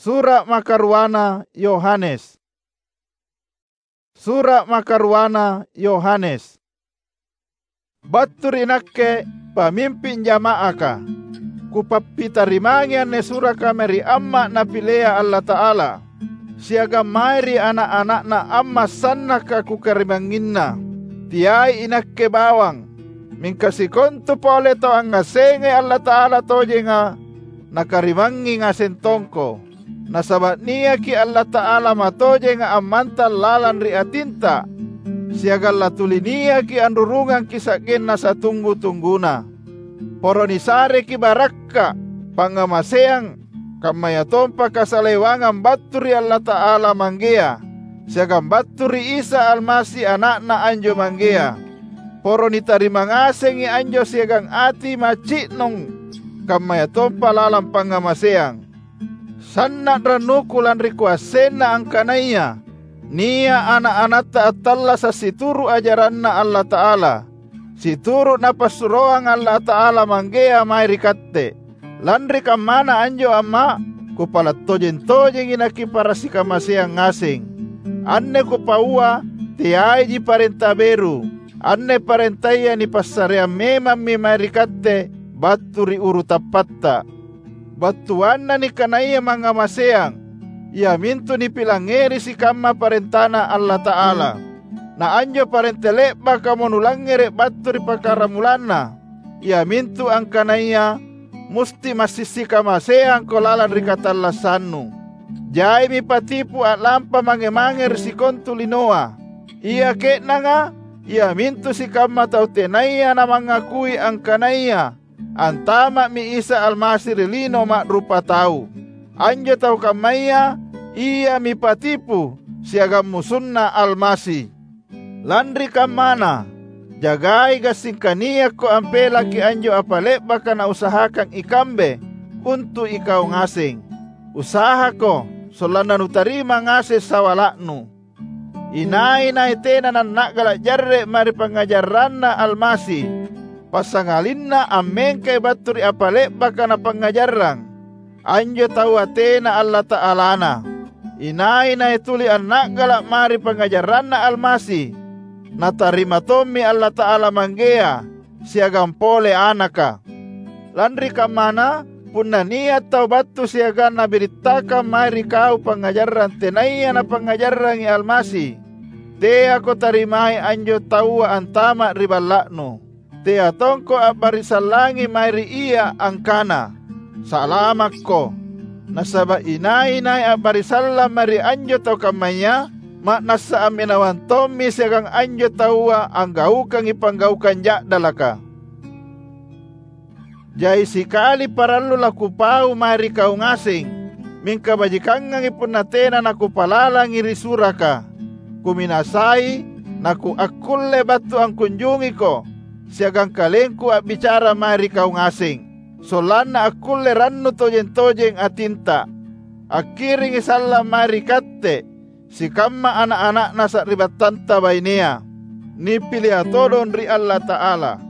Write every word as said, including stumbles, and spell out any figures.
Sura' makaruana Yohanes. Sura' makaruana Yohanes. Battu ri nakke, pamimping jama'aka. Kupappitarimangi anne suraka mae ri Amma' Napilea Allata'ala, siagang mae ri ana'-ana'na Amma' sannaka kukarimangnginna. Teai inakke bawang, mingka sikontu pole tau angngassengai Allata'ala tojenga, nakarimangngi ngaseng tongko. Nasaba' niaki Allata'ala matojenga ammantang lalang ri atinta, siagang latuli niaki anrurungangki sa'genna satunggu-tungguna. Poro nisareki barakka', pangngamaseang, kammayatompa kasalewangang battu ri Allata'ala Manggea, siagang battu ri Isa Almasi, Ana'Na anjo Manggea. Poro nitarima ngasengi anjo siagang ati maci'nong, kammayatompa lalang pangngamaseang. Sanna' rannuku lanri kuassenna angkanaya nia' ana'-anatta attallasa' situru' ajaranNa Allata'ala, situru' Napassuroanga Allata'ala Manggea mae ri katte. Lanri kammana anjo, Amma', kupala' tojeng-tojengi nakipara' sikamaseang ngaseng. Anne kupaua teaiji parenta beru. Anne parentaya nipassareang memammi mae ri katte battu ri uru tappatta. Battuanna nikanaya mangngamaseang, iamintu nipilangngeri sikamma parentaNa Allata'ala. Na anjo parenta le'bakamo nulangngere' battu ri pakkaramulanna, iamintu angkanaya musti massing sikamaseangko lalang ri katallassannu. Jaimi patipu a'lampa mange-mange ri sikontu linoa. Ia ke'nanga, iamintu sikamma tau tenaya namangakui angkanaya antama'mi Isa Almasi ri lino ma'rupatau. Anjo tau kammaya iami patipu siagang musunNa Almasi. Lanri kammana, jagai gassingka niakko ampelaki anjo apa le'baka nausahakang ikambe untu' ikau ngaseng. Usahako sollanna nutarima ngaseng sawala'nu. Inai-nai tena nanna'gala' jarre' mae ri pangngajarranNa Almasi, passangalinna ammengkai battu ri apa le'baka napangngajarrang, anjo taua tena Allata'alana. Inai-nai tuli anna'gala' mae ri pangngajarranNa Almasi, natarima tommi Allata'ala Manggea siagang pole Anaka. Lanri kammana, punna nia' tau battu siagang nabirittakang mae ri kau pangngajarang tenaya napangngajarrangi Almasi, teako tarimai anjo taua antama' ri balla'nu. Tea tongko a'barisallangi mae ri ia angkana, "Salamakko!" Nasaba' inai-nai a'barisallang mae ri anjo tau kammaya, ma'nassa amminawang tommi siagang anjo taua anggaukangi panggaukang ja'dalaka. Jai sikali parallu lakupau mae ri kau ngaseng, mingka bajikangangi punna tena nakupalalangi ri suraka. Kuminasai nakuakkulle battu angkunjungiko siagang kalengku a'bicara mae ri kau ngaseng, sollanna akkulle rannu tojeng-tojeng atinta. Akkiringi sallang mae ri katte, sikamma ana'-ana'na sari'battanta bainea, nipilia todong ri Allata'ala.